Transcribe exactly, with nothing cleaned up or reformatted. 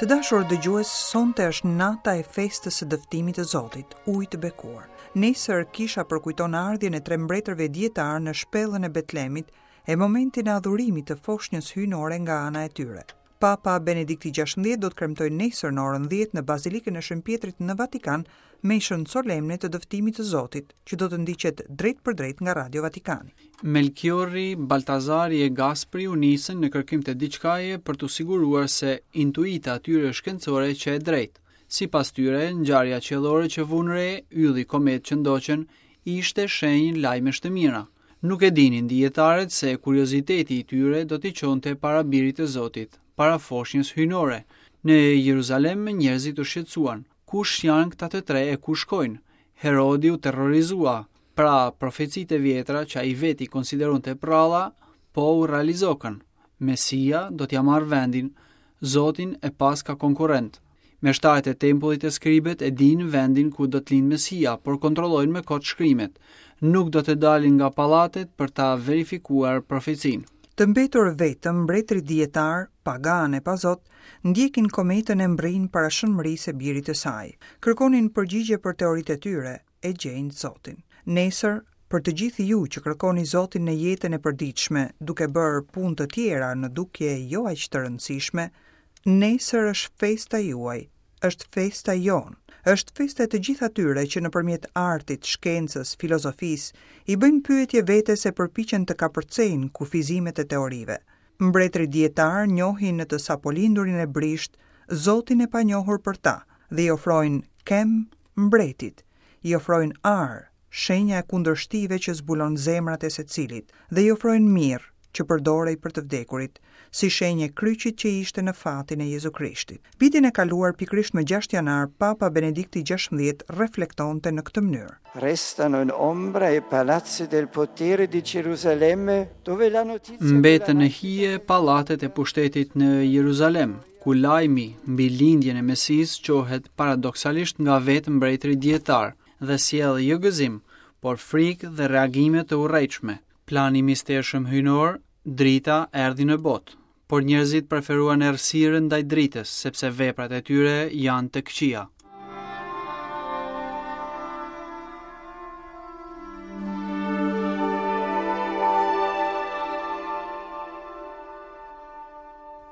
Të dashur dëgjues, sonte është nata e festës së dëftimit të Zotit, ujë të bekuar. Nesër kisha përkujton ardhjen e tre mbretërve dietar në shpellën e Betlemit e momentin e adhurimit të foshnjës hyjnore nga ana e tyre. Papa Benedikti gjashtëmbëdhjetë do të kremtojë nesër në orën dhjetë në Bazilikën e Shën Pjetrit në Vatikan meshën solemne të dëftimit të Zotit, që do të ndiqet drejt për drejt nga Radio Vatikani. Melchiorri, Baltazari e Gaspri u nisën në kërkim të diçkaje për t'u siguruar se intuita atyre shkencore që e drejtë. Sipas tyre, ngjarja qiellore që vunë re, ylli komet që ndoqën, ishte shenjë lajmesh të mira. Nuk e dinin dijetarët se kurioziteti i tyre do t'i çonte para birit të Zotit, para foshnjës hyjnore. Në Jeruzalem njerëzit u shqetësuan. Kush janë këta të tre e ku shkojnë? Herodi u terrorizua. Pra, profecitë e vjetra që ai veti konsideronte pralla, po u realizokën. Mesia do t'ja marrë vendin, Zotin e paska konkurrent. Meshtarët e tempullit e skribet e dinë vendin ku do të lind Mesia, por kontrollojnë me kot shkrimet. Nuk do të dalin nga pallatet për ta verifikuar profecinë. Të mbetur vetëm, mbretërit dijetar, pagan e pa zot, ndjekin kometën e mbrin para shënmërisë së birit të saj. Kërkonin përgjigje për teoritë e tyre e gjejnë Zotin. Nesër, për të gjithë ju që kërkoni Zotin në jetën e përditshme, duke bërë punë të tjera në dukje jo aq të rëndësishme, nesër është festa juaj, është festa jonë, është festa e të gjithë atyre që nëpërmjet artit, shkencës, filozofisë, i bëjnë pyetje vetes e përpiqen të kapërcejnë kufizimet e teorive. Mbretërit dijetar njohin në të sapolindurin e brisht Zotin e panjohur për ta dhe i ofrojnë kem mbretit, i ofrojnë ar, shenja e kundërshtive që zbulon zemrat e secilit, dhe i ofrojnë mirë që përdorej për të vdekurit, si shenjë e kryqit që ishte në fatin e Jezu Krishtit. Vitin e kaluar, pikërisht më gjashtë janar, Papa Benedikti gjashtëmbëdhjetë reflektonte në këtë mënyrë. Restano in ombra i palazzi del potere di Gerusalemme, dove la notizia Mbetën në hije pallatet e pushtetit në Jeruzalem, ku lajmi mbi lindjen e Mesisë çohet paradoksalisht nga vetë mbretërit dijetar dhe sjell jo gëzim, por frikë dhe reagime të urrejtshme. Plani i mistershëm hyjnor, drita erdhi në botë, por njerëzit preferuan errësirën ndaj dritës, sepse veprat e tyre janë të këqija.